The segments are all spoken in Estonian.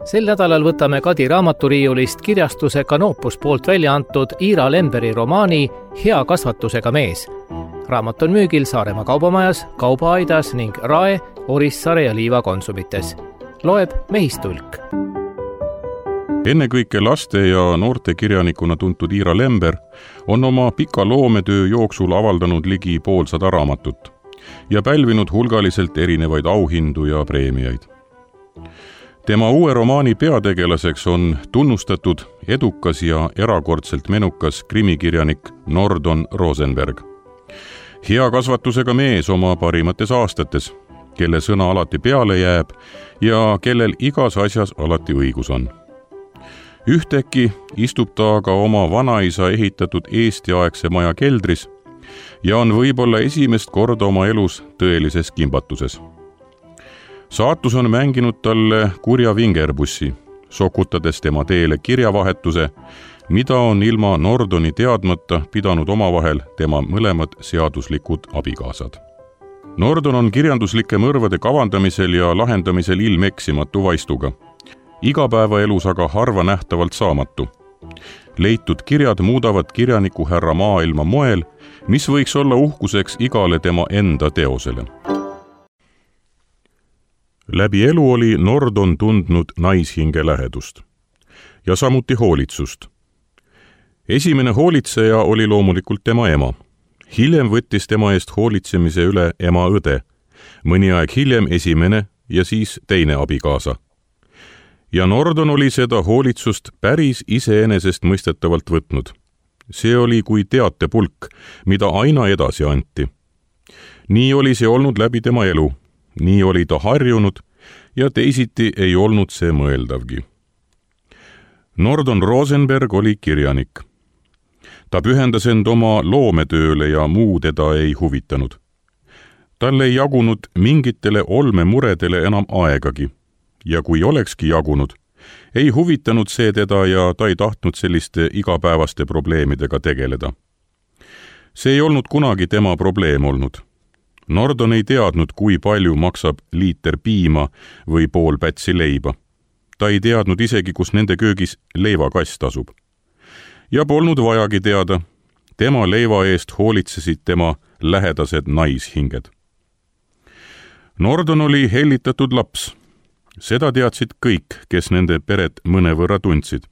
Sel nädalal võtame Kadi raamaturiiulist kirjastuse Canopus poolt välja antud Ira Lemberi romaani Hea kasvatusega mees. Raamat on müügil Saaremaa kaubamajas, Kaubaaidas ning Rae, Orissaare ja Liiva konsumites. Loeb Mehistulk. Ennekõike laste ja noorte kirjanikuna tuntud Ira Lember on oma pika loometöö jooksul avaldanud ligi 500 raamatut ja pälvinud hulgaliselt erinevaid auhindu ja preemiaid. Tema uue romaani peategelaseks on tunnustatud, edukas ja erakordselt menukas krimikirjanik Nordon Rosenberg. Hea kasvatusega mees oma parimates aastates, kelle sõna alati peale jääb ja kellel igas asjas alati õigus on. Ühtäkki istub ta aga oma vanaisa ehitatud Eesti-aegse maja keldris ja on võib-olla esimest korda oma elus tõelises kimbatuses. Saatus on mänginud talle kurja vingerbussi, sokutades tema teele kirjavahetuse, mida on ilma Nordoni teadmata pidanud omavahel tema mõlemad seaduslikud abikaasad. Nordon on kirjanduslike mõrvade kavandamisel ja lahendamisel ilmeksimatu vaistuga, igapäevaelus aga harva nähtavalt saamatu. Leitud kirjad muudavad kirjaniku härra maailma moel, mis võiks olla uhkuseks igale tema enda teosele. Läbi elu oli Nordon tundnud naishinge lähedust ja samuti hoolitsust. Esimene hoolitseja oli loomulikult tema ema. Hiljem võttis tema eest hoolitsemise üle ema õde, mõni aeg hiljem esimene ja siis teine abikaasa. Ja Nordon oli seda hoolitsust päris iseenesest mõistetavalt võtnud. See oli kui teatepulk, mida aina edasi anti. Nii oli see olnud läbi tema elu. Nii oli ta harjunud ja teisiti ei olnud see mõeldavgi. Nordon Rosenberg oli kirjanik. Ta pühendas end oma loometööle ja muu teda ei huvitanud. Tal ei jagunud mingitele olmemuredele enam aegagi ja kui olekski jagunud, ei huvitanud see teda ja ta ei tahtnud selliste igapäevaste probleemidega tegeleda. See ei olnud kunagi tema probleem olnud. Nordon ei teadnud, kui palju maksab liiter piima või pool pätsi leiba. Ta ei teadnud isegi, kus nende köögis leivakast asub. Ja polnud vajagi teada. Tema leiva eest hoolitsesid tema lähedased naishinged. Nordon oli hellitatud laps. Seda teadsid kõik, kes nende peret mõnevõrra tundsid.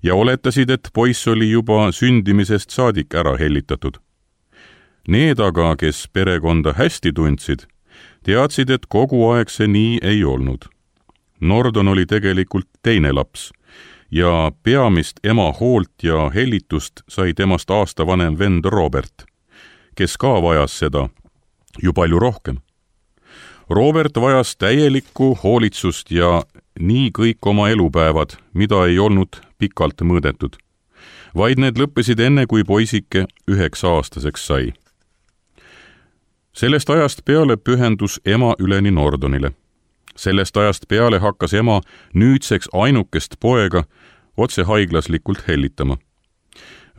Ja oletasid, et poiss oli juba sündimisest saadik ära hellitatud. Need aga, kes perekonda hästi tundsid, teadsid, et kogu aeg see nii ei olnud. Nordon oli tegelikult teine laps ja peamist ema hoolt ja hellitust sai temast aasta vanem vend Robert, kes ka vajas seda ju palju rohkem. Robert vajas täielikku hoolitsust ja nii kõik oma elupäevad, mida ei olnud pikalt mõõdetud, vaid need lõppesid enne, kui poisike 9-aastaseks sai. Sellest ajast peale pühendus ema üleni Nordonile. Sellest ajast peale hakkas ema nüüdseks ainukest poega otse haiglaslikult hellitama.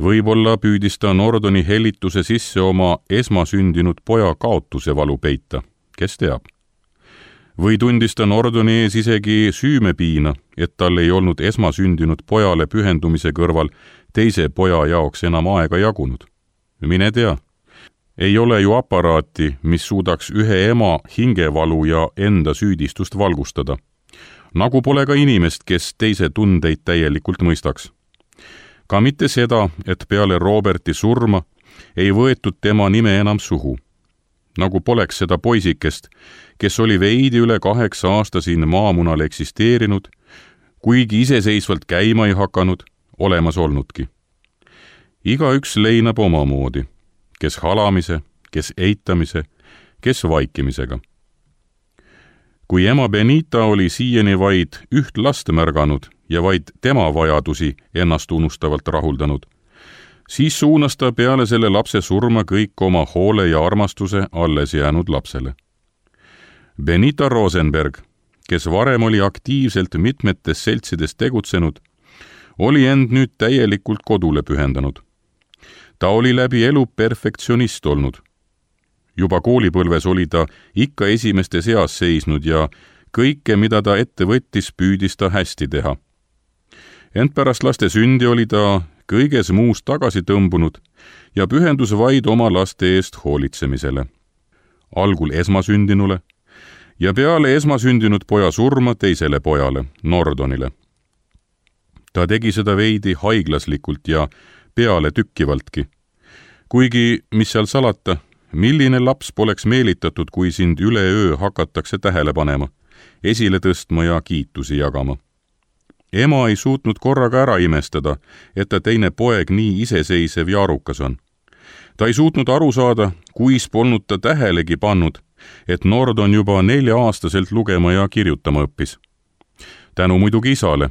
Võib-olla püüdis ta Nordoni hellituse sisse oma esmasündinud poja kaotuse valu peita, kes teab. Või tundis ta Nordoni ees isegi süümepiina, et tal ei olnud esmasündinud pojale pühendumise kõrval teise poja jaoks enam aega jagunud. Mine tea. Ei ole ju aparaati, mis suudaks ühe ema hingevalu ja enda süüdistust valgustada. Nagu pole ka inimest, kes teise tundeid täielikult mõistaks. Ka mitte seda, et peale Roberti surma ei võetud tema nime enam suhu. Nagu poleks seda poisikest, kes oli veidi üle 8 aasta siin maamunal eksisteerinud, kuigi iseseisvalt käima ei hakanud, olemas olnudki. Igaüks leinab omamoodi. Kes halamise, kes eitamise, kes vaikimisega. Kui ema Benita oli siiani vaid üht last märganud ja vaid tema vajadusi ennast unustavalt rahuldanud, siis suunas ta peale selle lapse surma kõik oma hoole ja armastuse alles jäänud lapsele. Benita Rosenberg, kes varem oli aktiivselt mitmetes seltsides tegutsenud, oli end nüüd täielikult kodule pühendanud. Ta oli läbi elu perfektsionist olnud. Juba koolipõlves oli ta ikka esimeste seas seisnud ja kõike, mida ta ette võttis, püüdis ta hästi teha. Ent pärast laste sündi oli ta kõiges muust tagasi tõmbunud ja pühendus vaid oma laste eest hoolitsemisele. Algul esmasündinule ja peale esmasündinud poja surma teisele pojale, Nordonile. Ta tegi seda veidi haiglaslikult ja peale tükkivaltki. Kuigi, mis seal salata, milline laps poleks meelitatud, kui sind üleöö hakatakse tähele panema, esile tõstma ja kiitusi jagama. Ema ei suutnud korraga ära imestada, et ta teine poeg nii iseseisev ja arukas on. Ta ei suutnud aru saada, kuis polnud ta tähelegi pannud, et Nordon juba 4-aastaselt lugema ja kirjutama õppis. Tänu muidugi isale,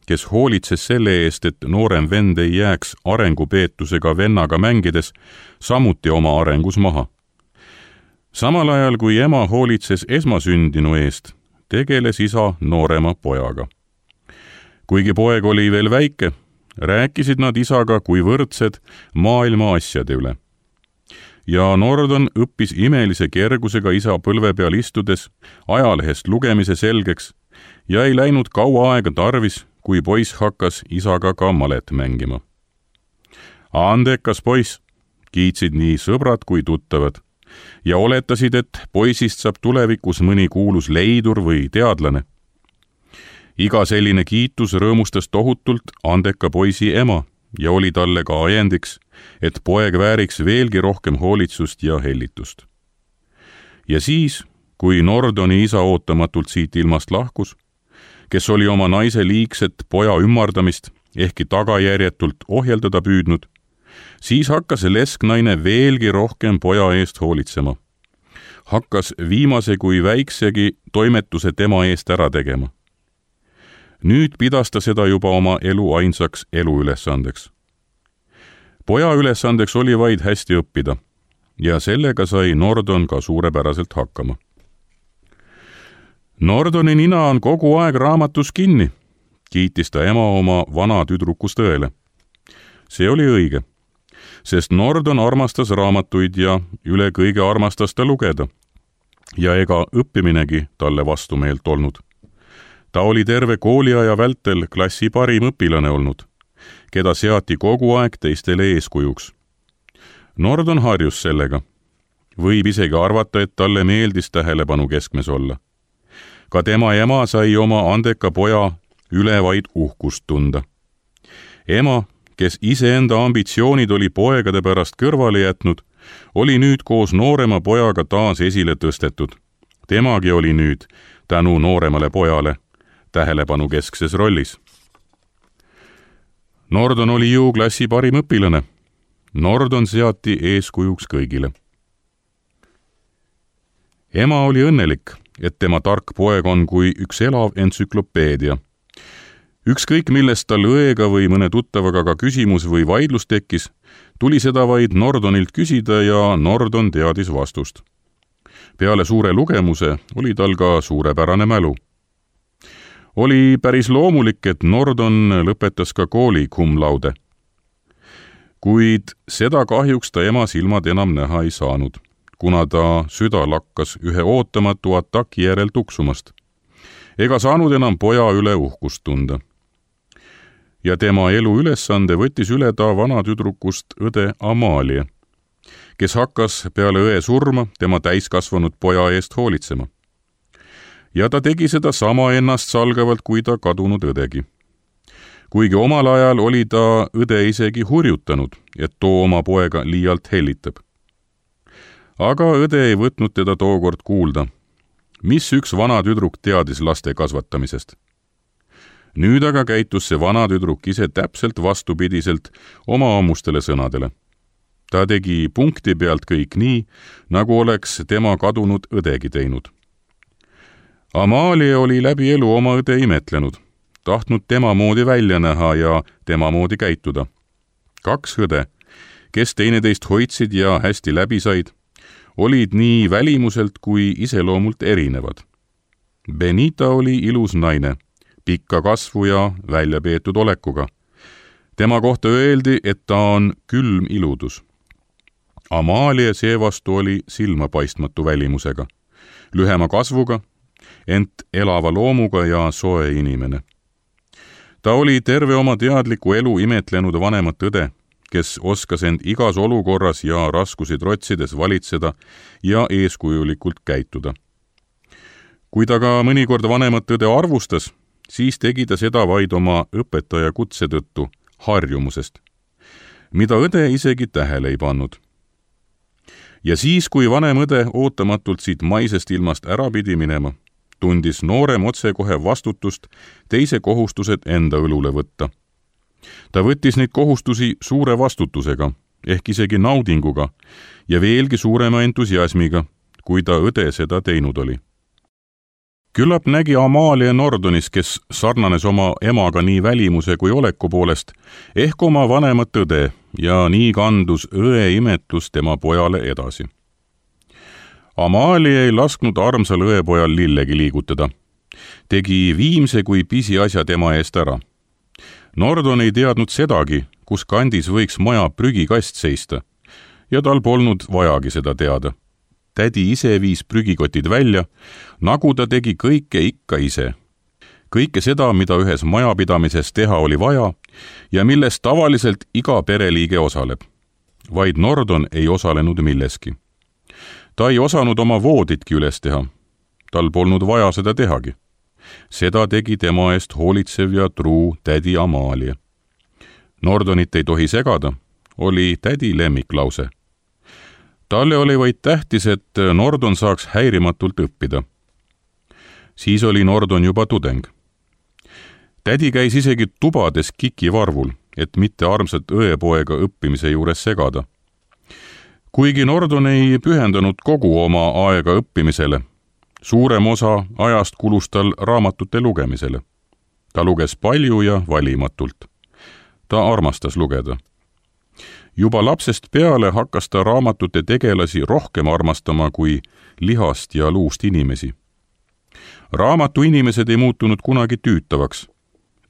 kes hoolitses selle eest, et noorem vend ei jääks arengupeetusega vennaga mängides samuti oma arengus maha. Samal ajal, kui ema hoolitses esmasündinu eest, tegeles isa noorema pojaga. Kuigi poeg oli veel väike, rääkisid nad isaga kui võrdsed maailma asjade üle. Ja Nordon õppis imelise kergusega isa põlve peal istudes ajalehest lugemise selgeks ja ei läinud kaua aega tarvis, kui poiss hakkas isaga ka malet mängima. Andekas poiss, kiitsid nii sõbrad kui tuttavad ja oletasid, et poisist saab tulevikus mõni kuulus leidur või teadlane. Iga selline kiitus rõõmustas tohutult andeka poisi ema ja oli talle ka ajendiks, et poeg vääriks veelgi rohkem hoolitsust ja hellitust. Ja siis, kui Nordoni isa ootamatult siit ilmast lahkus, kes oli oma naise liigset poja ümmardamist ehkki tagajärjetult ohjeldada püüdnud, siis hakkas lesknaine veelgi rohkem poja eest hoolitsema. Hakkas viimase kui väiksegi toimetuse tema eest ära tegema. Nüüd pidas ta seda juba oma elu ainsaks eluülesandeks. Poja ülesandeks oli vaid hästi õppida ja sellega sai Nordon ka suurepäraselt hakkama. Nordoni nina on kogu aeg raamatus kinni, kiitis ta ema oma vana tüdrukust õele. See oli õige, sest Nordon armastas raamatuid ja üle kõige armastas ta lugeda ja ega õppiminegi talle vastumeelt olnud. Ta oli terve kooliaja vältel klassi parim õpilane olnud, keda seati kogu aeg teistele eeskujuks. Nordon harjus sellega. Võib isegi arvata, et talle meeldis tähelepanu keskmes olla. Ka tema ema sai oma andeka poja üle vaid uhkust tunda. Ema, kes iseenda ambitsioonid oli poegade pärast kõrvale jätnud, oli nüüd koos noorema pojaga taas esile tõstetud. Temagi oli nüüd, tänu nooremale pojale, tähelepanu keskses rollis. Nordon oli ju klassi parim õpilane. Nordon seati eeskujuks kõigile. Ema oli õnnelik, et tema tark poeg on kui üks elav entsüklopeedia. Ükskõik millest tal õega või mõne tuttavaga ka küsimus või vaidlus tekkis, tuli seda vaid Nordonilt küsida ja Nordon teadis vastust. Peale suure lugemuse oli tal ka suurepärane mälu. Oli päris loomulik, et Nordon lõpetas ka kooli cum laude. Kuid seda kahjuks ta ema silmad enam näha ei saanud, kuna ta süda lakkas ühe ootamatu ataki järel tuksumast. Ega saanud enam poja üle uhkust tunda. Ja tema elu ülesande võttis üle ta vana tüdrukust õde Amalie, kes hakkas peale õe surma tema täiskasvanud poja eest hoolitsema. Ja ta tegi seda sama ennast salgavalt kui ta kadunud õdegi. Kuigi omal ajal oli ta õde isegi hurjutanud, et too oma poega liialt hellitab. Aga õde ei võtnud teda tookord kuulda, mis üks vana tüdruk teadis laste kasvatamisest. Nüüd aga käitus see vana tüdruk ise täpselt vastupidiselt oma ammustele sõnadele. Ta tegi punkti pealt kõik nii, nagu oleks tema kadunud õdegi teinud. Amalie oli läbi elu oma õde imetlenud, tahtnud tema moodi välja näha ja tema moodi käituda. 2 õde, kes teineteist hoidsid ja hästi läbi said, olid nii välimuselt kui iseloomult erinevad. Benita oli ilus naine, pikka kasvu ja välja peetud olekuga. Tema kohta öeldi, et ta on külm iludus. Amalie seevastu oli silmapaistmatu välimusega, lühema kasvuga ent elava loomuga ja soe inimene. Ta oli terve oma teadliku elu imetlenud vanemat õde, kes oskas end igas olukorras ja raskusi trotsides valitseda ja eeskujulikult käituda. Kui ta ka mõnikord vanemat õde arvustas, siis tegi ta seda vaid oma õpetaja kutse tõttu, harjumusest, mida õde isegi tähele ei pannud. Ja siis, kui vanem õde ootamatult siit maisest ilmast ära pidi minema, tundis noorem otsekohe vastutust teise kohustused enda õlule võtta. Ta võttis neid kohustusi suure vastutusega, ehk isegi naudinguga ja veelgi suurema entusiasmiga, kui ta õde seda teinud oli. Küllap nägi Amalia Nordonis, kes sarnanes oma emaga nii välimuse kui oleku poolest, ehk oma vanemat õde ja nii kandus õe imetlus tema pojale edasi. Amalia ei lasknud armsal õepojal lillegi liigutada. Tegi viimse kui pisiasja tema eest ära. Nordon ei teadnud sedagi, kus kandis võiks maja prügikast seista, ja tal polnud vajagi seda teada. Tädi ise viis prügikotid välja, nagu ta tegi kõike ikka ise. Kõike seda, mida ühes majapidamises teha oli vaja ja milles tavaliselt iga pereliige osaleb. Vaid Nordon ei osalenud milleski. Ta ei osanud oma vooditki üles teha. Tal polnud vaja seda tehagi. Seda tegi tema eest hoolitsev ja truu tädi Amalia. Nordonit ei tohi segada, oli tädi lemmiklause. Talle oli vaid tähtis, et Nordon saaks häirimatult õppida. Siis oli Nordon juba tudeng. Tädi käis isegi tubades kikivarvul, et mitte armsat õepoega õppimise juures segada. Kuigi Nordon ei pühendanud kogu oma aega õppimisele, suurem osa ajast kulus tal raamatute lugemisele. Ta luges palju ja valimatult. Ta armastas lugeda. Juba lapsest peale hakkas ta raamatute tegelasi rohkem armastama kui lihast ja luust inimesi. Raamatu inimesed ei muutunud kunagi tüütavaks.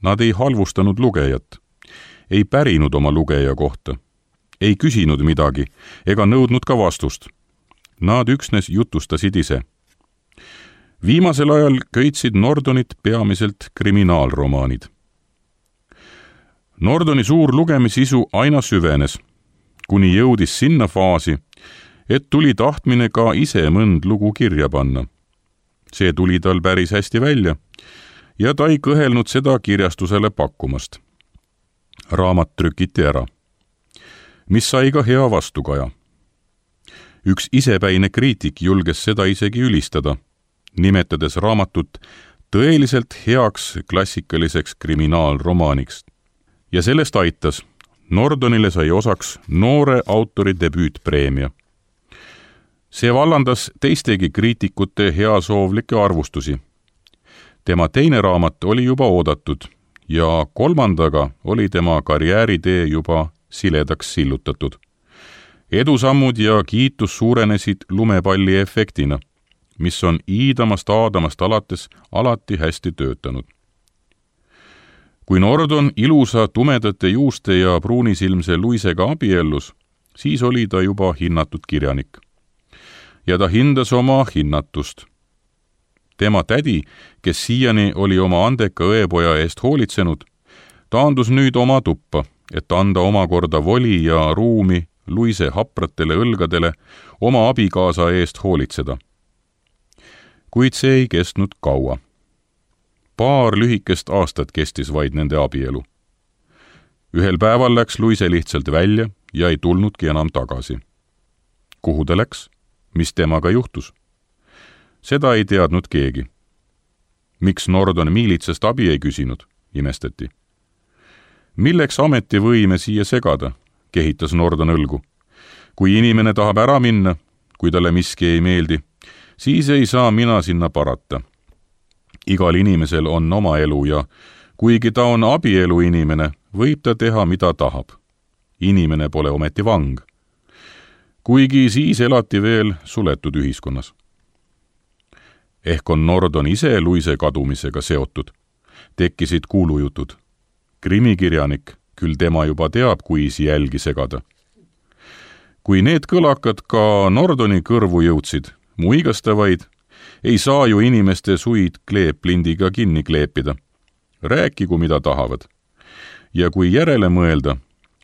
Nad ei halvustanud lugejat, ei pärinud oma lugeja kohta, ei küsinud midagi ega nõudnud ka vastust. Nad üksnes jutustasid ise. Viimasel ajal köitsid Nordonit peamiselt kriminaalromaanid. Nordoni suur lugemissisu aina süvenes, kuni jõudis sinna faasi, et tuli tahtmine ka ise mõnd lugu kirja panna. See tuli tal päris hästi välja ja ta ei kõhelnud seda kirjastusele pakkumast. Raamat trükiti ära, mis sai ka hea vastukaja. Üks isepäine kriitik julges seda isegi ülistada, nimetades raamatut tõeliselt heaks klassikaliseks kriminaalromaaniks. Ja sellest aitas. Nordonile sai osaks noore autori debüütpreemia. See vallandas teistegi kriitikute heasoovlikke arvustusi. Tema teine raamat oli juba oodatud ja kolmandaga oli tema karjääritee juba siledaks sillutatud. Edusammud ja kiitus suurenesid lumepalli efektina, mis on iidamast aadamast alates alati hästi töötanud. Kui Nordon ilusa tumedate juuste ja pruunisilmse Luisega abiellus, siis oli ta juba hinnatud kirjanik. Ja ta hindas oma hinnatust. Tema tädi, kes siiani oli oma andeka õepoja eest hoolitsenud, taandus nüüd oma tuppa, et anda omakorda voli ja ruumi Luise hapratele õlgadele oma abikaasa eest hoolitseda. Kuid see ei kestnud kaua. Paar lühikest aastat kestis vaid nende abielu. Ühel päeval läks Luise lihtsalt välja ja ei tulnudki enam tagasi. Kuhu ta läks? Mis temaga juhtus? Seda ei teadnud keegi. Miks Nordon miilitsast abi ei küsinud, imestati. Milleks ametivõime siia segada, kehitas Nordon õlgu. Kui inimene tahab ära minna, kui talle miski ei meeldi, siis ei saa mina sinna parata. Igal inimesel on oma elu ja kuigi ta on abielu inimene, võib ta teha, mida tahab. Inimene pole ometi vang. Kuigi siis elati veel suletud ühiskonnas. Ehk on Nordon ise Luise kadumisega seotud. Tekkisid kuulujutud. Krimikirjanik, küll tema juba teab, kuisi jälgi segada. Kui need kõlakad ka Nordoni kõrvu jõudsid, muigastavaid, Ei saa ju inimeste suid kleeplindiga kinni kleepida. Rääkigu, mida tahavad. Ja kui järele mõelda,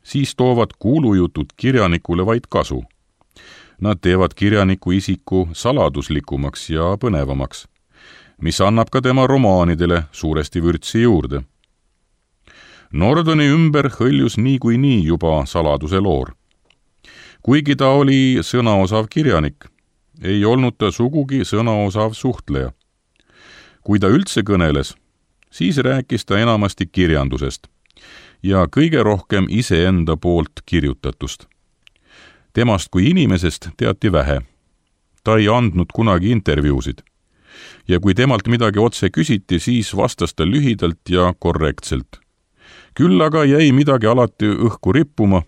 siis toovad kuulujutud kirjanikule vaid kasu. Nad teevad kirjaniku isiku saladuslikumaks ja põnevamaks, mis annab ka tema romaanidele suuresti vürtsi juurde. Nordoni ümber hõljus niikuinii juba saladuse loor. Kuigi ta oli sõnaosav kirjanik, ei olnud ta sugugi sõnaosav suhtleja. Kui ta üldse kõneles, siis rääkis ta enamasti kirjandusest ja kõige rohkem iseenda poolt kirjutatust. Temast kui inimesest teati vähe. Ta ei andnud kunagi intervjuusid. Ja kui temalt midagi otse küsiti, siis vastas ta lühidalt ja korrektselt. Küll aga jäi midagi alati õhku rippuma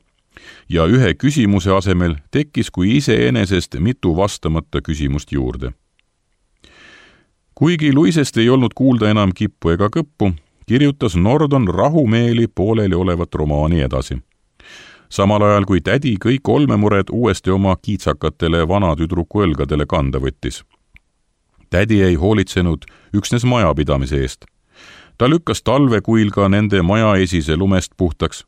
ja ühe küsimuse asemel tekkis kui iseenesest mitu vastamata küsimust juurde. Kuigi Luisest ei olnud kuulda enam kippu ega kõppu, kirjutas Nordon rahumeeli pooleli olevat romaani edasi. Samal ajal kui tädi kõik olmemured uuesti oma kiitsakatele vanatüdruku õlgadele kanda võttis. Tädi ei hoolitsenud üksnes majapidamise eest. Ta lükkas talvekuil ka nende maja esise lumest puhtaks.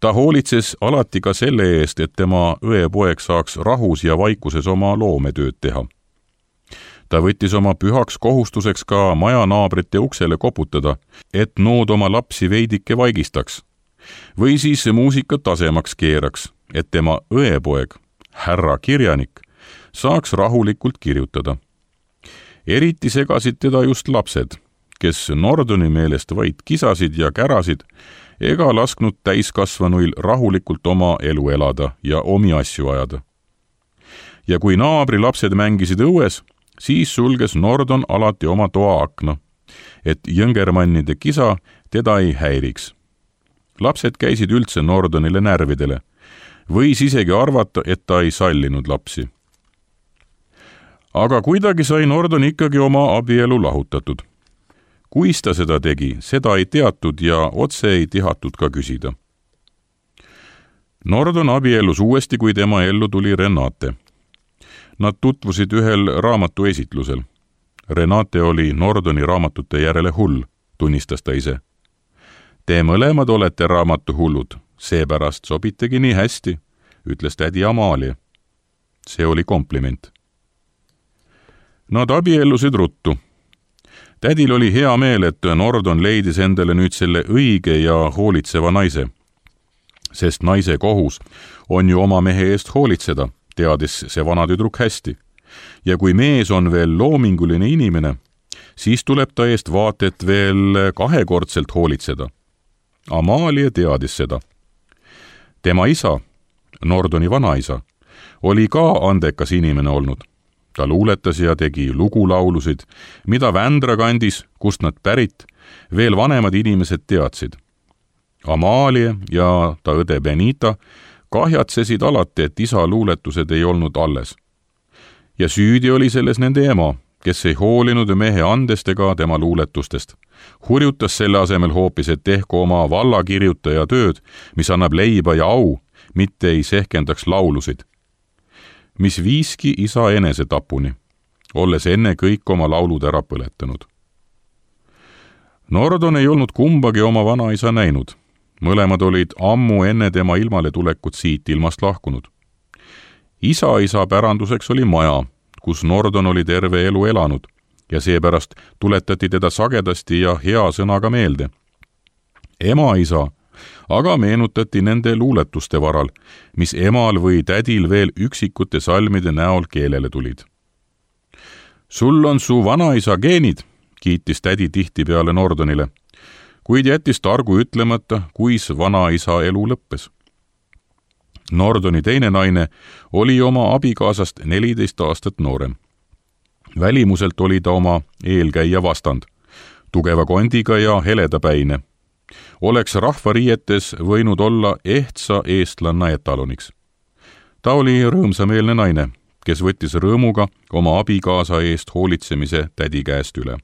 Ta hoolitses alati ka selle eest, et tema õepoeg saaks rahus ja vaikuses oma loometööd teha. Ta võttis oma pühaks kohustuseks ka maja naabrite uksele koputada, et nood oma lapsi veidike vaigistaks. Või siis muusikat tasemaks keeraks, et tema õepoeg, härra kirjanik, saaks rahulikult kirjutada. Eriti segasid teda just lapsed, kes Nordoni meelest vaid kisasid ja kärasid ega lasknud täiskasvanuil rahulikult oma elu elada ja omi asju ajada. Ja kui naabri lapsed mängisid õues, siis sulges Nordon alati oma toa akna, et jõngermannide kisa teda ei häiriks. Lapsed käisid üldse Nordonile närvidele. Võis isegi arvata, et ta ei sallinud lapsi. Aga kuidagi sai Nordon ikkagi oma abielu lahutatud. Kuis ta seda tegi, seda ei teatud ja otse ei tihatud ka küsida. Nordon abiellus uuesti, kui tema ellu tuli Renate. Nad tutvusid ühel raamatu esitlusel. Renate oli Nordoni raamatute järele hull, tunnistas ta ise. Te mõlemad olete raamatuhullud, seepärast sobitegi nii hästi, ütles tädi Amalia. See oli kompliment. Nad abiellusid ruttu. Tädil oli hea meel, et Nordon leidis endale nüüd selle õige ja hoolitseva naise. Sest naise kohus on ju oma mehe eest hoolitseda, teadis see vanatüdruk hästi. Ja kui mees on veel loominguline inimene, siis tuleb ta eest vaatet veel kahekordselt hoolitseda. Amalia teadis seda. Tema isa, Nordoni vanaisa, oli ka andekas inimene olnud. Ta luuletas ja tegi lugulaulusid, mida Vändra kandis, kust nad pärit, veel vanemad inimesed teadsid. Amalia ja ta õde Benita kahjatsesid alati, et isa luuletused ei olnud alles. Ja süüdi oli selles nende ema, kes ei hoolinud mehe andest ega tema luuletustest. Hurjutas selle asemel hoopis, et tehku oma vallakirjutaja tööd, mis annab leiba ja au, mitte ei sehkendaks laulusid. Mis viiski isa enesetapuni, olles enne kõik oma laulud ära põletanud. Nordon ei olnud kumbagi oma vanaisa näinud. Mõlemad olid ammu enne tema ilmale tulekut siit ilmast lahkunud. Isa päranduseks oli maja, kus Nordon oli terve elu elanud ja seepärast tuletati teda sagedasti ja hea sõnaga meelde. Ema-isa aga meenutati nende luuletuste varal, mis emal või tädil veel üksikute salmide näol keelele tulid. Sul on su vanaisa geenid, kiitis tädi tihtipeale Nordonile, kuid jättis targu ütlemata, kuis vanaisa elu lõppes. Nordoni teine naine oli oma abikaasast 14 aastat noorem. Välimuselt oli ta oma eelkäija vastand, tugeva kondiga ja heledapäine. Oleks rahvariietes võinud olla ehtsa eestlanna etaloniks. Ta oli rõõmsameelne naine, kes võttis rõõmuga oma abikaasa eest hoolitsemise tädi käest üle.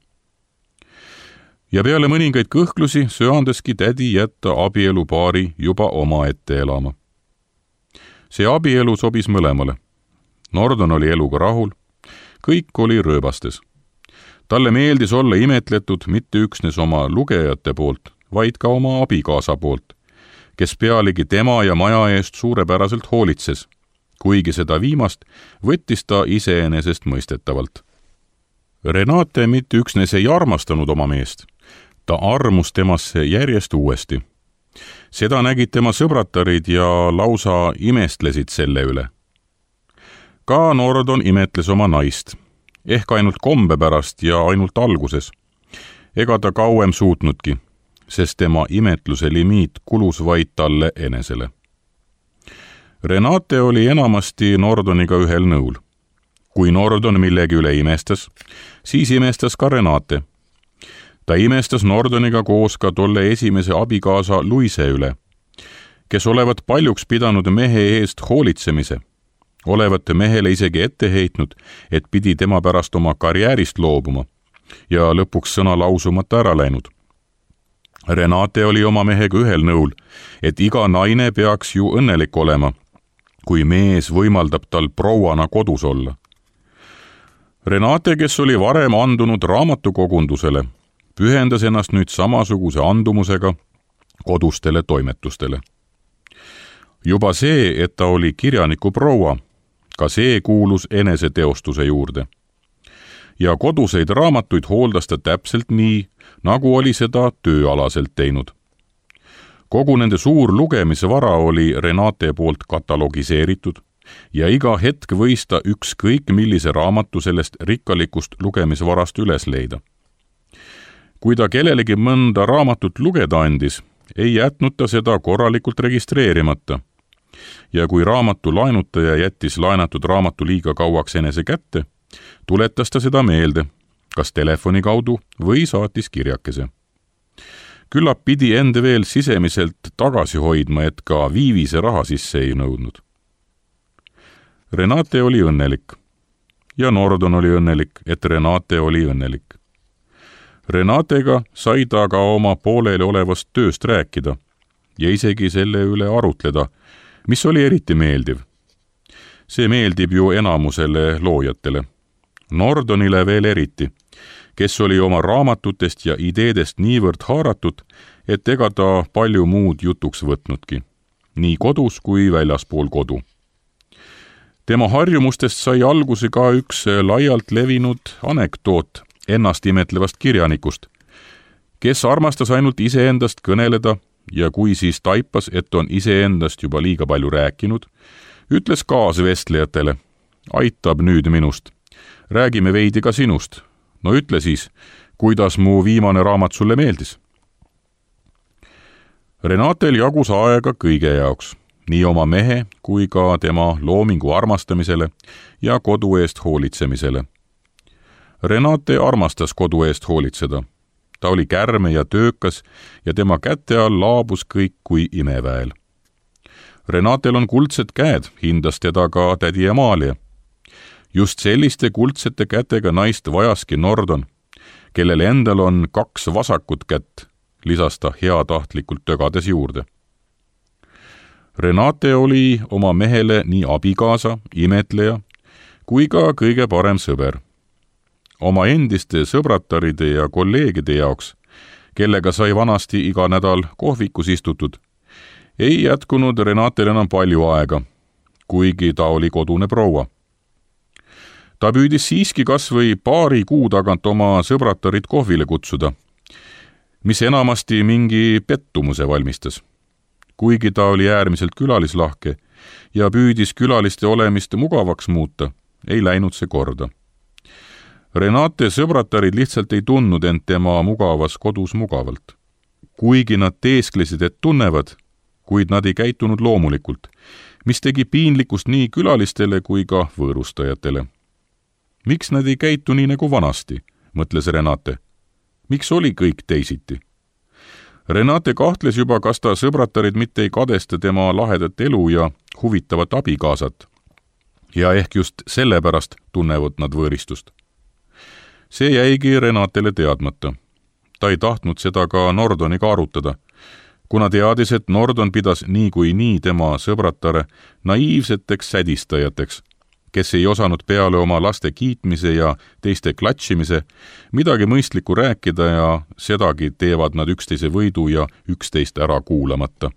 Ja peale mõningaid kõhklusi söandeski tädi jätta abielupaari juba oma ette elama. See abielu sobis mõlemale. Nordon oli eluga rahul, kõik oli rööbastes. Talle meeldis olla imetletud mitte üksnes oma lugejate poolt, vaid ka oma abikaasa poolt, kes pealegi tema ja maja eest suurepäraselt hoolitses, kuigi seda viimast võttis ta iseenesestmõistetavalt. Renate mitte üksnes ei armastanud oma meest, ta armus temasse järjest uuesti. Seda nägid tema sõbratarid ja lausa imestlesid selle üle. Ka Nordon imetles oma naist, ehk ainult kombe pärast ja ainult alguses. Ega ta kauem suutnudki, sest tema imetluse limiit kulus vaid talle enesele. Renate oli enamasti Nordoniga ühel nõul. Kui Nordon millegi üle imestas, siis imestas ka Renate. Ta imestas Nordoniga koos ka tolle esimese abikaasa Luise üle, kes olevat paljuks pidanud mehe eest hoolitsemise. Olevat mehele isegi ette heitnud, et pidi tema pärast oma karjäärist loobuma ja lõpuks sõna lausumata ära läinud. Renate oli oma mehega ühel nõul, et iga naine peaks ju õnnelik olema, kui mees võimaldab tal prouana kodus olla. Renate, kes oli varem andunud raamatukogundusele, pühendas ennast nüüd samasuguse andumusega kodustele toimetustele. Juba see, et ta oli kirjaniku proua, ka see kuulus eneseteostuse juurde. Ja koduseid raamatuid hooldas ta täpselt nii, nagu oli seda tööalaselt teinud. Kogu nende suur lugemisvara oli Renate poolt katalogiseeritud ja iga hetk võis ta ükskõik millise raamatu sellest rikkalikust lugemisvarast üles leida. Kui ta kellelegi mõnda raamatut lugeda andis, ei jätnud ta seda korralikult registreerimata. Ja kui raamatu laenutaja jättis laenatud raamatu liiga kauaks enese kätte, tuletas ta seda meelde, kas telefoni kaudu või saatis kirjakese. Küllap pidi enda veel sisemiselt tagasi hoidma, et ka viivise raha sisse ei nõudnud. Renate oli õnnelik ja Nordon oli õnnelik, et Renate oli õnnelik. Renatega sai ta ka oma pooleli olevast tööst rääkida ja isegi selle üle arutleda, mis oli eriti meeldiv. See meeldib ju enamusele loojatele. Nordonile veel eriti, kes oli oma raamatutest ja ideedest niivõrd haaratud, et ega ta palju muud jutuks võtnudki, nii kodus kui väljaspool kodu. Tema harjumustest sai alguse ka üks laialt levinud anekdoot ennast imetlevast kirjanikust, kes armastas ainult iseendast kõneleda ja kui siis taipas, et on iseendast juba liiga palju rääkinud, ütles kaasvestlejatele, aitab nüüd minust, räägime veidi ka sinust, no ütle siis, kuidas mu viimane raamat sulle meeldis. Renatel jagus aega kõige jaoks, nii oma mehe kui ka tema loomingu armastamisele ja kodu eest hoolitsemisele. Renate armastas kodu eest hoolitseda. Ta oli kärme ja töökas ja tema käte all laabus kõik kui imeväel. Renatel on kuldsed käed, hindas teda ka tädi Amalia. Just selliste kuldsete kätega naist vajaski Nordon, kellel endal on 2 vasakut kätt, lisas ta heatahtlikult tögades juurde. Renate oli oma mehele nii abikaasa, imetleja kui ka kõige parem sõber. Oma endiste sõbrataride ja kolleegide jaoks, kellega sai vanasti iga nädal kohvikus istutud, ei jätkunud Renatel enam palju aega, kuigi ta oli kodune proua. Ta püüdis siiski kas või paari kuu tagant oma sõbratarid kohvile kutsuda, mis enamasti mingi pettumuse valmistas. Kuigi ta oli äärmiselt külalislahke ja püüdis külaliste olemist mugavaks muuta, ei läinud see korda. Renate sõbratarid lihtsalt ei tundnud end tema mugavas kodus mugavalt. Kuigi nad teesklesid, et tunnevad, kuid nad ei käitunud loomulikult, mis tegi piinlikkust nii külalistele kui ka võõrustajatele. Miks nad ei käitu nii nagu vanasti, mõtles Renate. Miks oli kõik teisiti? Renate kahtles juba, kas ta sõbratarid mitte ei kadesta tema lahedat elu ja huvitavat abikaasat. Ja ehk just sellepärast tunnevad nad võõristust. See jäigi Renatele teadmata. Ta ei tahtnud seda ka Nordoniga arutada, kuna teadis, et Nordon pidas nii kui nii tema sõbratare naiivseteks sädistajateks, kes ei osanud peale oma laste kiitmise ja teiste klatšimise midagi mõistlikku rääkida ja sedagi teevad nad üksteise võidu ja üksteist ära kuulamata.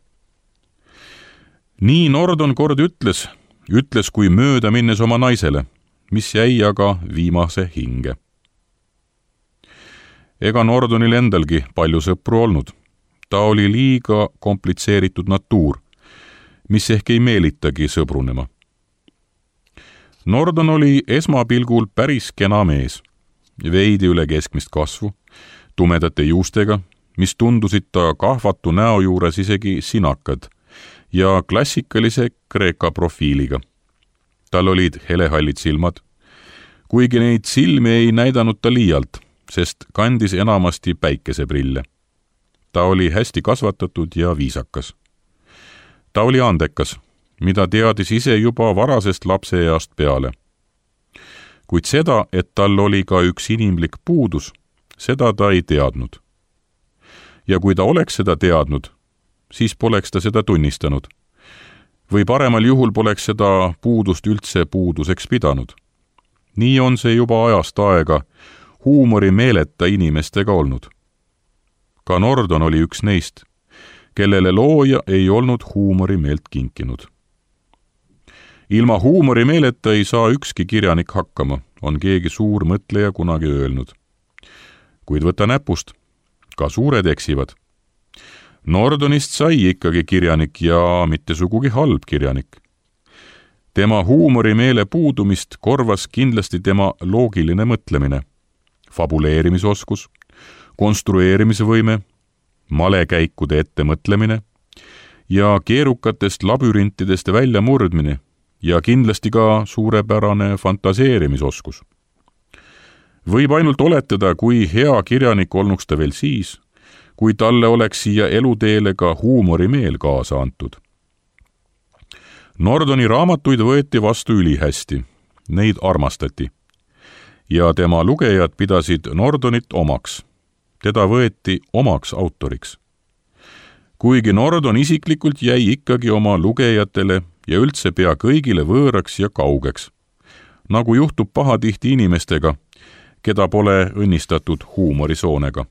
Nii Nordon kord ütles kui mööda minnes oma naisele, mis jäi aga viimase hinge. Ega Nordonil endalgi palju sõpru olnud. Ta oli liiga komplitseeritud natuur, mis ehk ei meelitagi sõbrunema. Nordon oli esmapilgul päris kena mees, veidi üle keskmist kasvu, tumedate juustega, mis tundusid ta kahvatu näo juures isegi sinakad ja klassikalise kreeka profiiliga. Tal olid helehallid silmad, kuigi neid silmi ei näidanud ta liialt, sest kandis enamasti päikeseprille. Ta oli hästi kasvatatud ja viisakas. Ta oli andekas, mida teadis ise juba varasest lapseeast peale. Kuid seda, et tal oli ka üks inimlik puudus, seda ta ei teadnud. Ja kui ta oleks seda teadnud, siis poleks ta seda tunnistanud. Või paremal juhul poleks seda puudust üldse puuduseks pidanud. Nii on see juba ajast aega huumorimeeleta inimestega olnud. Ka Nordon oli üks neist, kellele looja ei olnud huumorimeelt kinkinud. Ilma huumorimeeleta ei saa ükski kirjanik hakkama, on keegi suur mõtleja kunagi öelnud. Kuid võta näpust, ka suured eksivad. Nordonist sai ikkagi kirjanik ja mitte sugugi halb kirjanik. Tema huumorimeele puudumist korvas kindlasti tema loogiline mõtlemine, fabuleerimisoskus, konstrueerimise võime, malekäikude ettemõtlemine ja keerukatest labürintidest välja murdmine ja kindlasti ka suurepärane fantaseerimisoskus. Võib ainult oletada, kui hea kirjanik olnuks ta veel siis, kui talle oleks siia eluteele ka huumorimeel kaasa antud. Nordoni raamatuid võeti vastu ülihästi, neid armastati ja tema lugejad pidasid Nordonit omaks. Teda võeti omaks autoriks. Kuigi Nordon isiklikult jäi ikkagi oma lugejatele ja üldse pea kõigile võõraks ja kaugeks, nagu juhtub pahatihti inimestega, keda pole õnnistatud huumorisoonega.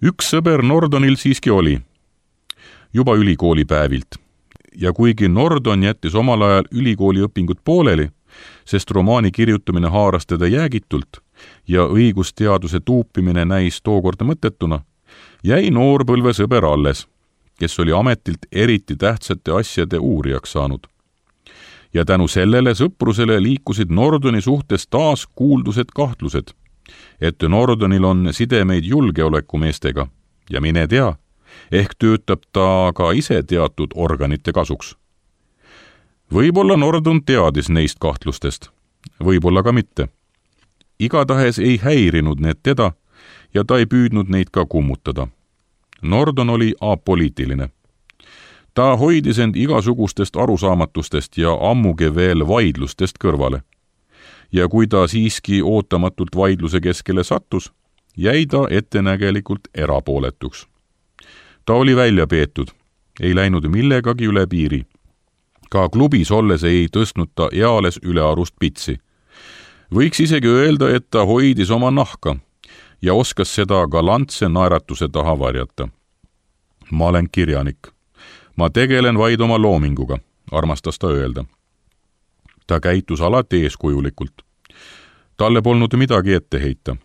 Üks sõber Nordonil siiski oli, juba ülikoolipäevilt, ja kuigi Nordon jättis omal ajal ülikooliõpingud pooleli, sest romaani kirjutamine haaras teda jäägitult ja õigusteaduse tuupimine näis tookord mõttetuna, jäi noorpõlvesõber alles, kes oli ametilt eriti tähtsate asjade uurijaks saanud. Ja tänu sellele sõprusele liikusid Nordoni suhtes taas kuuldused kahtlused, et Nordonil on sidemeid julgeolekumeestega ja mine tea, ehk töötab ta ka ise teatud organite kasuks. Võib-olla Nordon teadis neist kahtlustest, võib-olla ka mitte. Igatahes ei häirinud need teda ja ta ei püüdnud neid ka kummutada. Nordon oli apoliitiline. Ta hoidis end igasugustest arusaamatustest ja ammugi veel vaidlustest kõrvale. Ja kui ta siiski ootamatult vaidluse keskele sattus, jäi ta ettenägelikult erapooletuks. Ta oli välja peetud, ei läinud millegagi üle piiri. Ka klubis olles ei tõstnud ta eales ülearust pitsi. Võiks isegi öelda, et ta hoidis oma nahka ja oskas seda galantse naeratuse taha varjata. Ma olen kirjanik. Ma tegelen vaid oma loominguga, armastas ta öelda. Ta käitus alati eeskujulikult. Talle polnud midagi ette heita.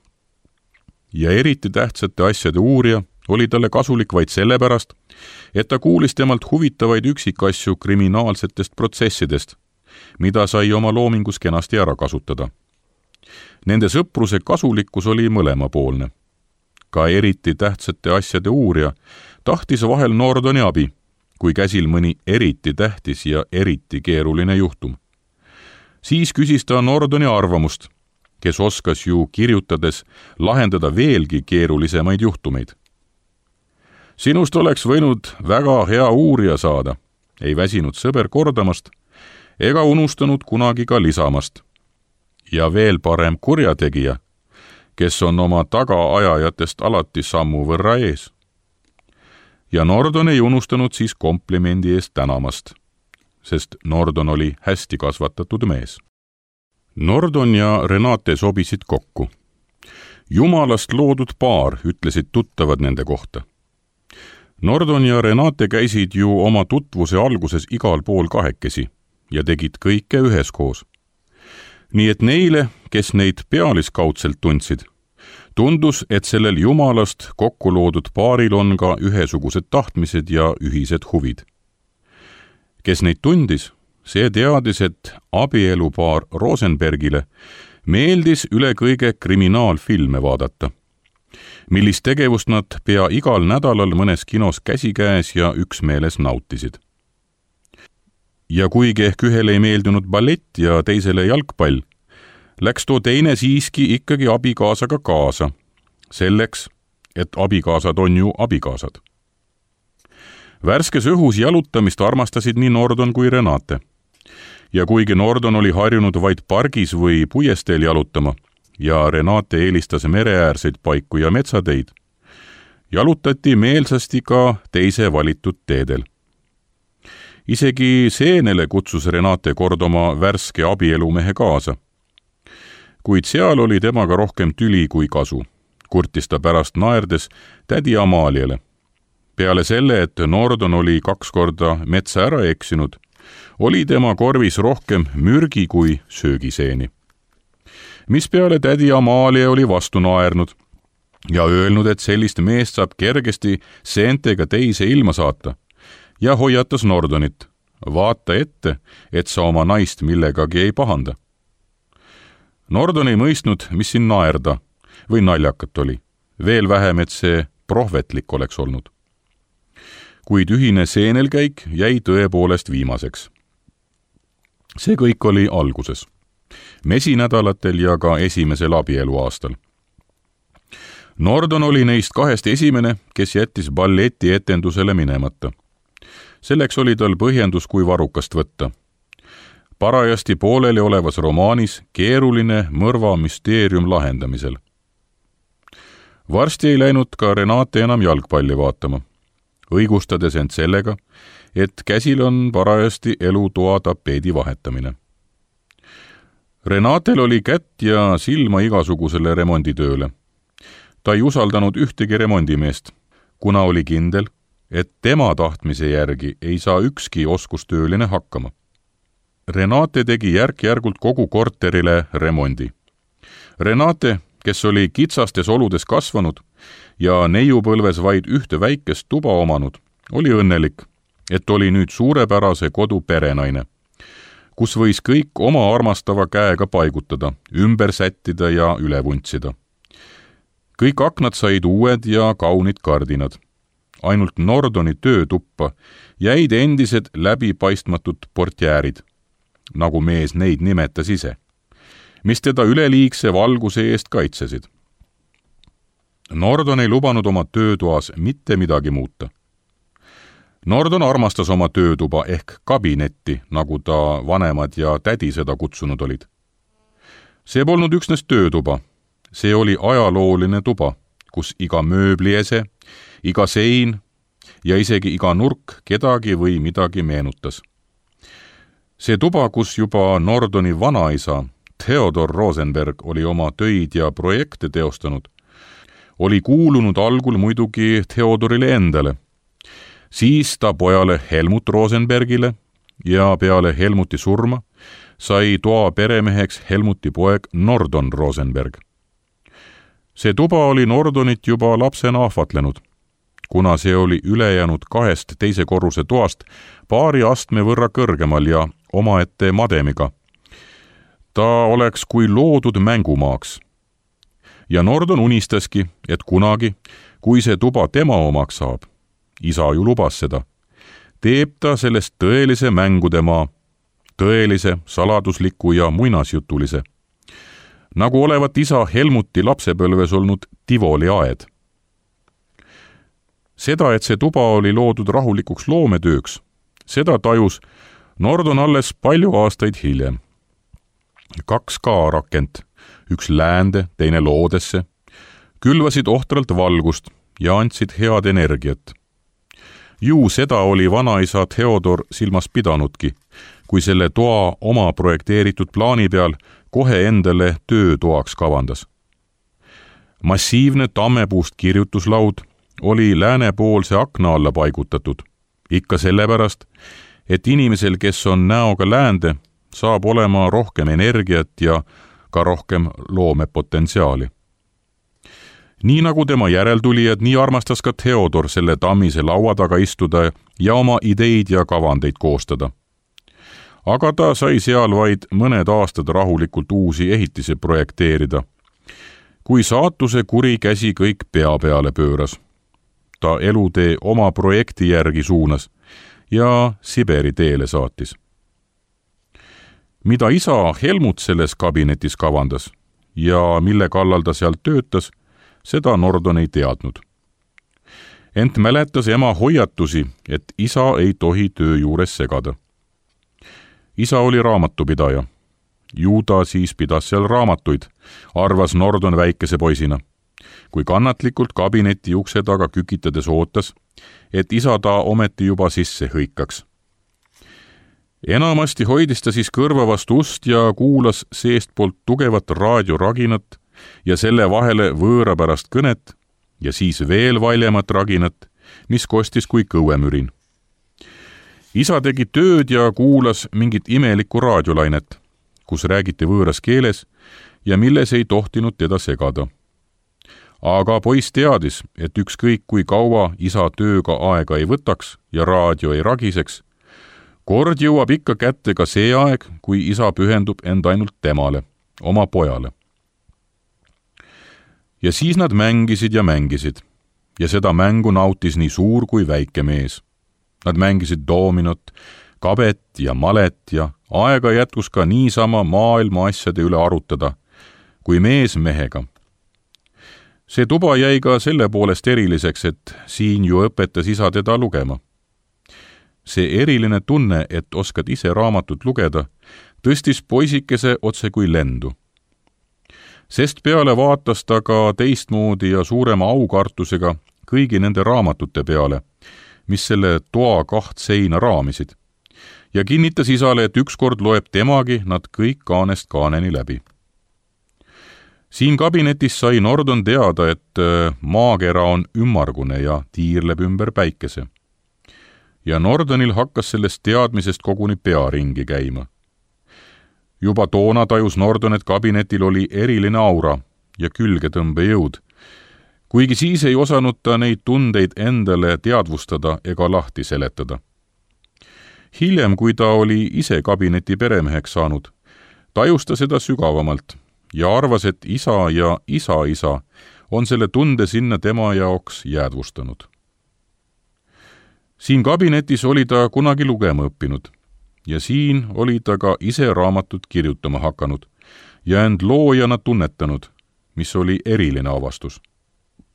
Ja eriti tähtsate asjade uurija oli talle kasulik vaid sellepärast, et ta kuulis temalt huvitavaid üksikasju kriminaalsetest protsessidest, mida sai oma loomingus kenasti ära kasutada. Nende sõpruse kasulikkus oli mõlemapoolne. Ka eriti tähtsate asjade uurija tahtis vahel Nordoni abi, kui käsil mõni eriti tähtis ja eriti keeruline juhtum. Siis küsis ta Nordoni arvamust, kes oskas ju kirjutades lahendada veelgi keerulisemaid juhtumeid. Sinust oleks võinud väga hea uurija saada, ei väsinud sõber kordamast ega unustanud kunagi ka lisamast. Ja veel parem kurjategija, kes on oma tagaajajatest alati sammu võrra ees. Ja Nordon ei unustanud siis komplimendi eest tänamast. sest Nordon oli hästi kasvatatud mees. Nordon ja Renate sobisid kokku. Jumalast loodud paar, ütlesid tuttavad nende kohta. Nordon ja Renate käisid ju oma tutvuse alguses igal pool kahekesi ja tegid kõike üheskoos. Nii et neile, kes neid pealiskaudselt tundsid, tundus, et sellel jumalast kokku loodud paaril on ka ühesugused tahtmised ja ühised huvid. Kes neid tundis, see teadis, et abielupaar Rosenbergile meeldis üle kõige kriminaalfilme vaadata, millist tegevust nad pea igal nädalal mõnes kinos käsikäes ja üksmeeles nautisid. Ja kuigi ehk ühele ei meeldinud ballett ja teisele jalgpall, läks too teine siiski ikkagi abikaasaga kaasa, selleks, et abikaasad on ju abikaasad. Värskes õhus jalutamist armastasid nii Nordon kui Renate. Ja kuigi Nordon oli harjunud vaid pargis või puiesteel jalutama ja Renate eelistas mereäärseid paiku ja metsateid, jalutati meelsasti ka teise valitud teedel. Isegi seenele kutsus Renate kord oma värske abielumehe kaasa. Kuid seal oli temaga rohkem tüli kui kasu, kurtis ta pärast naerdes tädi Amaliale. Peale selle, et Nordon oli 2 korda metsa ära eksinud, oli tema korvis rohkem mürgi kui söögiseeni. Mis peale tädi Amalia oli vastu naernud ja öelnud, et sellist meest saab kergesti seentega teise ilma saata ja hoiatas Nordonit, vaata ette, et sa oma naist millegagi ei pahanda. Nordon ei mõistnud, mis siin naerda või naljakat oli, veel vähem, et see prohvetlik oleks olnud. Kuid ühine seenelkäik jäi tõepoolest viimaseks. See kõik oli alguses, mesinädalatel ja ka esimesel abieluaastal. Nordon oli neist 2 esimene, kes jättis balleti etendusele minemata. Selleks oli tal põhjendus kui varukast võtta. Parajasti pooleli olevas romaanis keeruline mõrva müsteerium lahendamisel. Varsti ei läinud ka Renate enam jalgpalli vaatama, õigustades end sellega, et käsil on parajasti elutoa tapeedi vahetamine. Renatel oli kätt ja silma igasugusele remonditööle. Ta ei usaldanud ühtegi remondimeest, kuna oli kindel, et tema tahtmise järgi ei saa ükski oskustööline hakkama. Renate tegi järk-järgult kogu korterile remondi. Renate, kes oli kitsastes oludes kasvanud ja neiupõlves vaid ühte väikest tuba omanud, oli õnnelik, et oli nüüd suurepärase kodu perenaine, kus võis kõik oma armastava käega paigutada, ümber sättida ja üle vuntsida. Kõik aknad said uued ja kaunid kardinad. Ainult Nordoni töötuppa jäid endised läbipaistmatud portjäärid, nagu mees neid nimetas ise, mis teda üleliigse valguse eest kaitsesid. Nordon ei lubanud oma töötoas mitte midagi muuta. Nordon armastas oma töötuba ehk kabinetti, nagu ta vanemad ja tädi seda kutsunud olid. See polnud üksnes töötuba, see oli ajalooline tuba, kus iga mööbliese, iga sein ja isegi iga nurk kedagi või midagi meenutas. See tuba, kus juba Nordoni vanaisa, Theodor Rosenberg, oli oma töid ja projekte teostanud, oli kuulunud algul muidugi Theodorile endale, siis ta pojale Helmut Rosenbergile ja peale Helmuti surma sai toa peremeheks Helmuti poeg Nordon Rosenberg. See tuba oli Nordonit juba lapsena ahvatlenud, kuna see oli ülejäänud 2 teise korruse toast paari astme võrra kõrgemal ja omaette mademiga. Ta oleks kui loodud mängumaaks. Ja Nordon unistaski, et kunagi, kui see tuba tema omaks saab, isa ju lubas seda, teeb ta sellest tõelise mängudemaa, tõelise, saladusliku ja muinasjutulise, nagu olevat isa Helmuti lapsepõlves olnud Tivoli aed. Seda, et see tuba oli loodud rahulikuks loometööks, seda tajus Nordon alles palju aastaid hiljem. 2 kaarakent, üks läände, teine loodesse, külvasid ohtralt valgust ja andsid head energiat. Ju seda oli vanaisa Theodor silmas pidanudki, kui selle toa oma projekteeritud plaani peal kohe endale töötoaks kavandas. Massiivne tammepuust kirjutuslaud oli läänepoolse akna alla paigutatud, ikka sellepärast, et inimesel, kes on näoga läände, saab olema rohkem energiat ja ka rohkem loomepotentsiaali. Nii nagu tema järeltulijad, nii armastas ka Theodor selle tammise laua taga istuda ja oma ideid ja kavandeid koostada. Aga ta sai seal vaid mõned aastad rahulikult uusi ehitisi projekteerida, kui saatuse kuri käsi kõik pea peale pööras. Ta elutee oma projekti järgi suunas ja Siberi teele saatis. Mida isa Helmut selles kabinetis kavandas ja mille kallal ta sealt töötas, seda Nordon ei teadnud. Ent mäletas ema hoiatusi, et isa ei tohi töö juures segada. Isa oli raamatupidaja. Ju ta siis pidas seal raamatuid, arvas Nordon väikese poisina, kui kannatlikult kabineti ukse taga kükitades ootas, et isa ta ometi juba sisse hõikaks. Enamasti hoidis ta siis kõrva vastu ust ja kuulas seestpoolt tugevat raadioraginat ja selle vahele võõrapärast kõnet ja siis veel valjemat raginat, mis kostis kui kõuemürin. Isa tegi tööd ja kuulas mingit imelikku raadiolainet, kus räägiti võõras keeles ja milles ei tohtinud teda segada. Aga poiss teadis, et ükskõik kui kaua isa tööga aega ei võtaks ja raadio ei ragiseks, kord jõuab ikka kätte ka see aeg, kui isa pühendub end ainult temale, oma pojale. Ja siis nad mängisid ja seda mängu nautis nii suur kui väike mees. Nad mängisid doominot, kabet ja malet ja aega jätkus ka niisama maailma asjade üle arutada, kui mees mehega. See tuba jäi ka selle poolest eriliseks, et siin ju õpetas isa teda lugema. See eriline tunne, et oskad ise raamatut lugeda, tõstis poisikese otse kui lendu. Sest peale vaatas ta ka teistmoodi ja suurema aukartusega kõigi nende raamatute peale, mis selle toa 2 seina raamisid, ja kinnitas isale, et ükskord loeb temagi nad kõik kaanest kaaneni läbi. Siin kabinetis sai Nordon teada, et maakera on ümmargune ja tiirleb ümber päikese. Ja Nordonil hakkas sellest teadmisest koguni pea ringi käima. Juba toona tajus Nordon, et kabinetil oli eriline aura ja külgetõmbejõud, kuigi siis ei osanud ta neid tundeid endale teadvustada ega lahti seletada. Hiljem, kui ta oli ise kabineti peremeheks saanud, tajus ta seda sügavamalt ja arvas, et isa ja isa on selle tunde sinna tema jaoks jäädvustanud. Siin kabinetis oli ta kunagi lugema õppinud ja siin oli ta ka ise raamatut kirjutama hakanud ja end loojana tunnetanud, mis oli eriline avastus.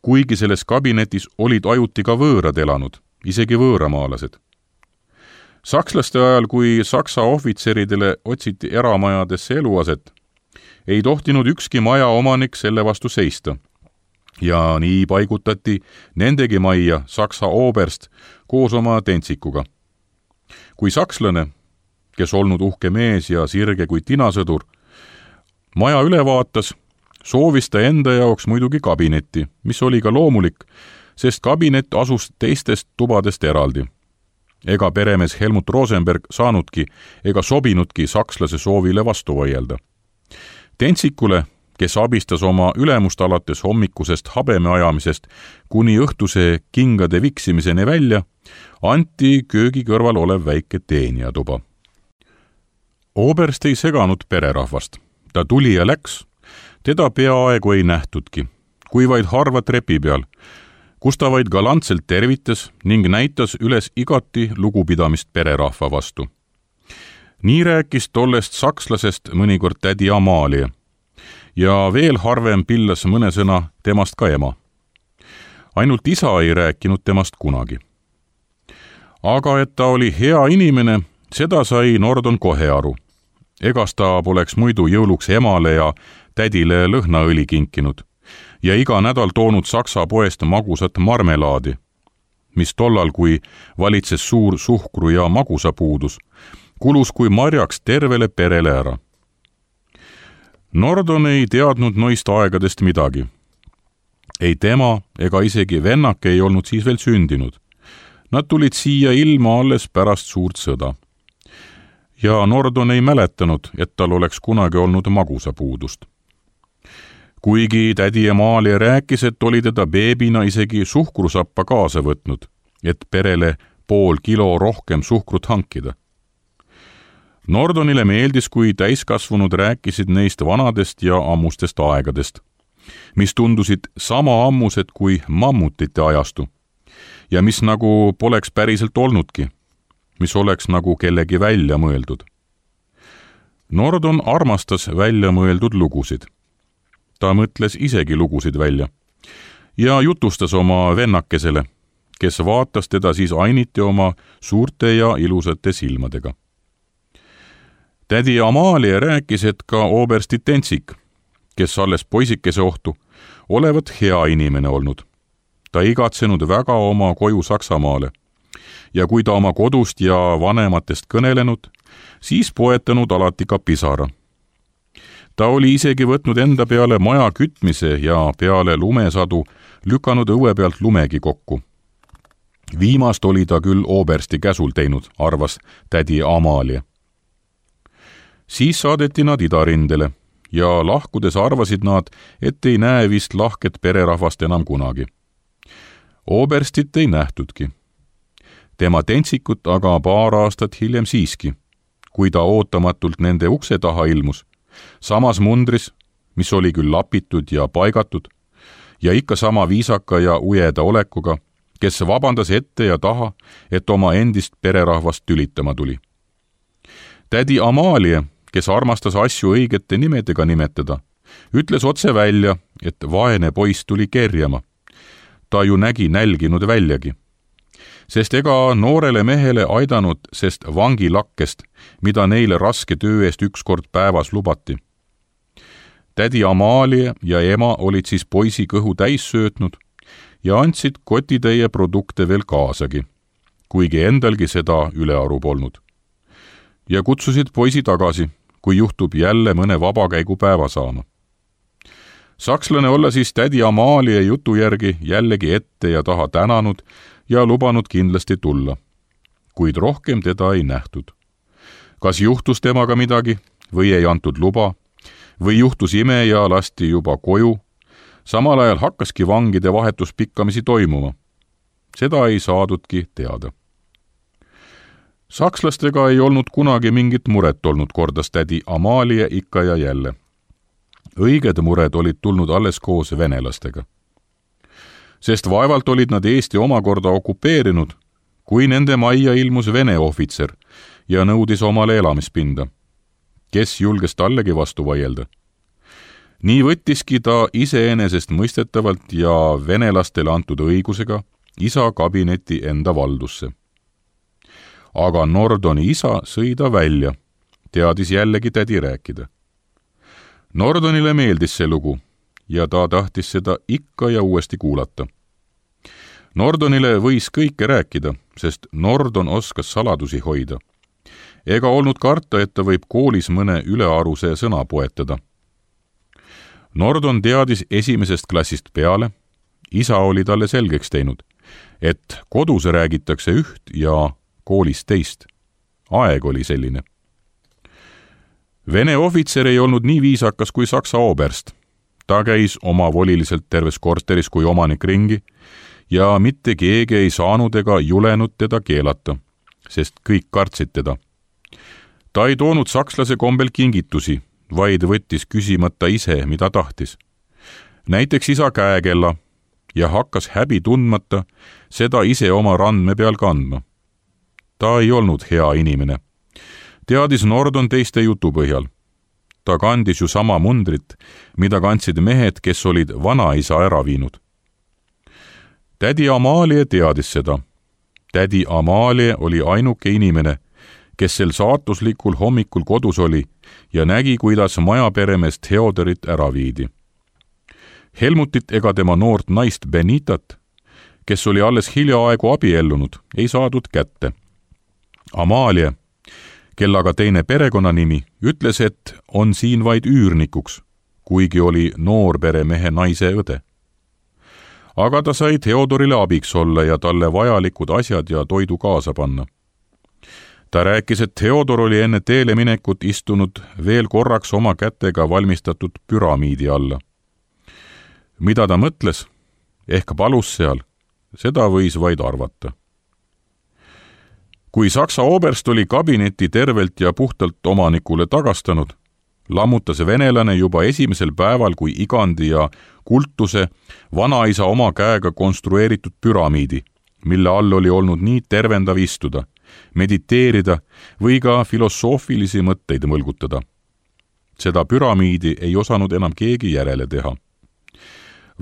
Kuigi selles kabinetis olid ajuti ka võõrad elanud, isegi võõramaalased. Sakslaste ajal, kui saksa ohvitseridele otsiti eramajadesse eluaset, ei tohtinud ükski maja omanik selle vastu seista. Ja nii paigutati nendegi majja saksa oberst koos oma tentsikuga. Kui sakslane, kes olnud uhke mees ja sirge kui tinasõdur, maja üle vaatas, soovis ta enda jaoks muidugi kabinetti, mis oli ka loomulik, sest kabinet asus teistest tubadest eraldi. Ega peremees Helmut Rosenberg saanudki ega sobinudki sakslase soovile vastu vaielda. Tentsikule, kes abistas oma ülemust alates hommikusest habeme ajamisest kuni õhtuse kingade viksimiseni välja, anti köögi kõrval olev väike teenijatuba. Oberst ei seganud pererahvast. Ta tuli ja läks. Teda peaaegu ei nähtudki, kui vaid harva trepi peal, kus ta vaid galantselt tervitas ning näitas üles igati lugupidamist pererahva vastu. Nii rääkis tollest sakslasest mõnikord tädi Amalia ja veel harvem pillas mõne sõna temast ka ema. Ainult isa ei rääkinud temast kunagi. Aga et ta oli hea inimene, seda sai Nordon kohe aru. Egas ta poleks muidu jõuluks emale ja tädile lõhnaõli kinkinud ja iga nädal toonud saksa poest magusat marmelaadi. mis tollal, kui valitses suur suhkru ja magusapuudus, kulus kui marjaks tervele perele ära. Nordon ei teadnud noist aegadest midagi. Ei tema ega isegi vennake ei olnud siis veel sündinud. Nad tulid siia ilma alles pärast suurt sõda. Ja Nordon ei mäletanud, et tal oleks kunagi olnud magusapuudust. Kuigi tädi Amalia rääkis, et oli teda beebina isegi suhkrusappa kaasa võtnud, et perele 0,5 kilo rohkem suhkrut hankida. Nordonile meeldis, kui täiskasvanud rääkisid neist vanadest ja ammustest aegadest, mis tundusid sama ammused kui mammutite ajastu ja mis nagu poleks päriselt olnudki, mis oleks nagu kellegi välja mõeldud. Nordon armastas välja mõeldud lugusid. Ta mõtles isegi lugusid välja ja jutustas oma vennakesele, kes vaatas teda siis ainiti oma suurte ja ilusate silmadega. Tädi Amalia rääkis, et ka obersti Tentsik, kes alles poisikese ohtu, olevat hea inimene olnud. Ta igatsenud väga oma koju Saksamaale ja kui ta oma kodust ja vanematest kõnelenud, siis poetanud alati ka pisara. Ta oli isegi võtnud enda peale maja kütmise ja peale lumesadu lükanud õue pealt lumegi kokku. Viimast oli ta küll obersti käsul teinud, arvas tädi Amalia. Siis saadeti nad idarindele ja lahkudes arvasid nad, et ei näe vist lahket pererahvast enam kunagi. Oberstit ei nähtudki. Tema Tentsikut aga paar aastat hiljem siiski, kui ta ootamatult nende ukse taha ilmus, samas mundris, mis oli küll lapitud ja paigatud, ja ikka sama viisaka ja ujeda olekuga, kes vabandas ette ja taha, et oma endist pererahvast tülitama tuli. Tädi Amalia, kes armastas asju õigete nimedega nimetada, ütles otse välja, et vaene poiss tuli kerjama. Ta ju nägi nälginud väljagi. Sest ega noorele mehele aidanud sest vangilakkest, mida neile raske töö eest ükskord päevas lubati. Tädi Amalia ja ema olid siis poisi kõhu täis söötnud ja andsid kotitäie produkte veel kaasagi, kuigi endalgi seda ülearu polnud. Ja kutsusid poisi tagasi, kui juhtub jälle mõne vabakäigu päeva saama. Sakslane olla siis tädi Amalia jutu järgi jällegi ette ja taha tänanud ja lubanud kindlasti tulla, kuid rohkem teda ei nähtud. Kas juhtus temaga midagi või ei antud luba või juhtus ime ja lasti juba koju, samal ajal hakkaski vangide vahetus pikkamisi toimuma. Seda ei saadudki teada. Sakslastega ei olnud kunagi mingit muret olnud, kordas tädi Amalia ikka ja jälle. Õiged mured olid tulnud alles koos venelastega. Sest vaevalt olid nad Eesti omakorda okupeerinud, kui nende majja ilmus vene ohvitser ja nõudis omale elamispinda. Kes julges tallegi vastu vaielda? Nii võttiski ta iseenesest mõistetavalt ja venelastele antud õigusega isa kabineti enda valdusse. Aga Nordoni isa sõi ta välja, teadis jällegi tädi rääkida. Nordonile meeldis see lugu ja ta tahtis seda ikka ja uuesti kuulata. Nordonile võis kõike rääkida, sest Nordon oskas saladusi hoida. Ega olnud karta, et ta võib koolis mõne ülearuse sõna poetada. Nordon teadis esimesest klassist peale, isa oli talle selgeks teinud, et kodus räägitakse üht ja koolis teist. Aeg oli selline. Vene ohvitser ei olnud nii viisakas kui Saksa oberst. Ta käis omavoliliselt terves korteris kui omanik ringi ja mitte keegi ei saanud ega julenud teda keelata, sest kõik kartsid teda. Ta ei toonud sakslase kombel kingitusi, vaid võttis küsimata ise, mida tahtis. Näiteks isa käekella ja hakkas häbi tundmata seda ise oma randme peal kandma. Ta ei olnud hea inimene. Teadis Nordon teiste jutu põhjal. Ta kandis ju sama mundrit, mida kandsid mehed, kes olid vanaisa ära viinud. Tädi Amalia teadis seda. Tädi Amalia oli ainuke inimene, kes sel saatuslikul hommikul kodus oli ja nägi, kuidas majaperemees Theodorit ära viidi. Helmutit ega tema noort naist Benitat, kes oli alles hiljaaegu abiellunud, ei saadud kätte. Amalie, kellaga teine perekonnanimi, ütles, et on siin vaid üürnikuks, kuigi oli noorperemehe naise õde. Aga ta sai Theodorile abiks olla ja talle vajalikud asjad ja toidu kaasa panna. Ta rääkis, et Theodor oli enne teele minekut istunud veel korraks oma kätega valmistatud püramiidi alla. Mida ta mõtles, ehk palus seal, seda võis vaid arvata. Kui Saksa oberst oli kabineti tervelt ja puhtalt omanikule tagastanud, lammutas venelane juba esimesel päeval kui igandi ja kultuse vanaisa oma käega konstrueeritud püramiidi, mille all oli olnud nii tervendav istuda, mediteerida või ka filosoofilisi mõtteid mõlgutada. Seda püramiidi ei osanud enam keegi järele teha.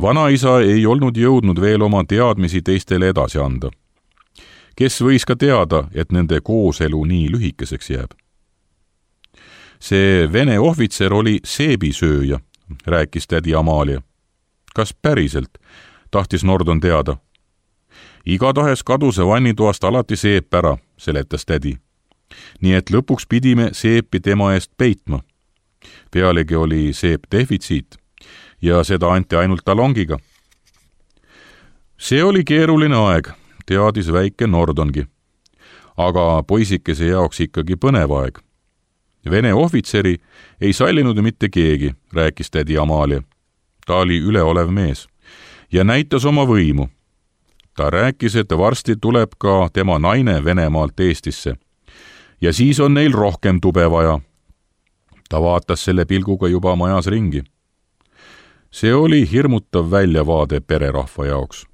Vanaisa ei olnud jõudnud veel oma teadmisi teistele edasi anda. Kes võis ka teada, et nende kooselu nii lühikeseks jääb? See vene ohvitser oli seebisööja, rääkis tädi Amalie. Kas päriselt, tahtis Nordon teada. Igatahes kaduse vannitoast alati seep ära, seletas tädi. Nii et lõpuks pidime seepi tema eest peitma. Pealegi oli seep defitsiit ja seda anti ainult talongiga. See oli keeruline aeg, teadis väike Nordongi. Aga poisikese jaoks ikkagi põnev aeg. Vene ohvitseri ei sallinud mitte keegi, rääkis tädi Amalie. Ta oli üleolev mees ja näitas oma võimu. Ta rääkis, et varsti tuleb ka tema naine Venemaalt Eestisse ja siis on neil rohkem tube vaja. Ta vaatas selle pilguga juba majas ringi. See oli hirmutav väljavaade pererahva jaoks.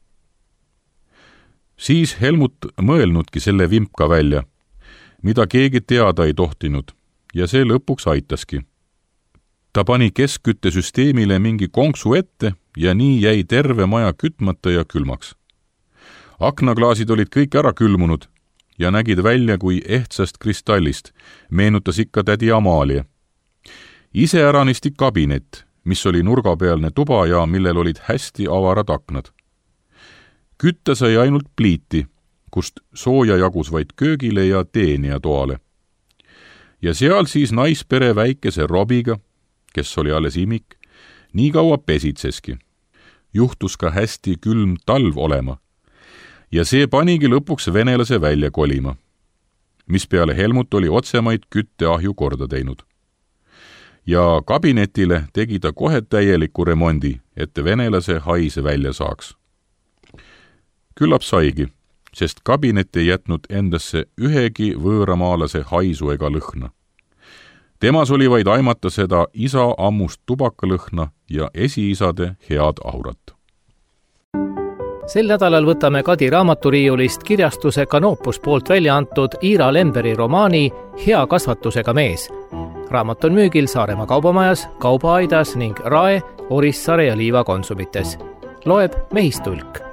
Siis Helmut mõelnudki selle vimpka välja, mida keegi teada ei tohtinud, ja see lõpuks aitaski. Ta pani keskküttesüsteemile mingi konksu ette ja nii jäi terve maja kütmata ja külmaks. Aknaklaasid olid kõik ära külmunud ja nägid välja kui ehtsast kristallist, meenutas ikka tädi Amalie. Iseäranisti kabinet, mis oli nurgapealne tuba ja millel olid hästi avarad aknad. Kütta sai ainult pliiti, kust sooja jagus vaid köögile ja teenija toale. Ja seal siis naispere väikese Robiga, kes oli alles imik, nii kaua pesitseski. Juhtus ka hästi külm talv olema ja see panigi lõpuks venelase välja kolima, mis peale Helmut oli otsemaid kütteahju korda teinud. Ja kabinetile tegi ta kohe täieliku remondi, et venelase hais välja saaks. Küllap saigi, sest kabinet ei jätnud endasse ühegi võõramaalase haisu ega lõhna. Temas oli vaid aimata seda isa ammust tubakalõhna ja esiisade head aurat. Sel nädalal võtame Kadi raamaturiiulist kirjastuse Canopus poolt välja antud Iira Lemberi romaani Hea kasvatusega mees. Raamat on müügil Saaremaa kaubamajas, Kaubaaidas ning Rae, Orissaare ja Liiva konsumites. Loeb Mehistulk.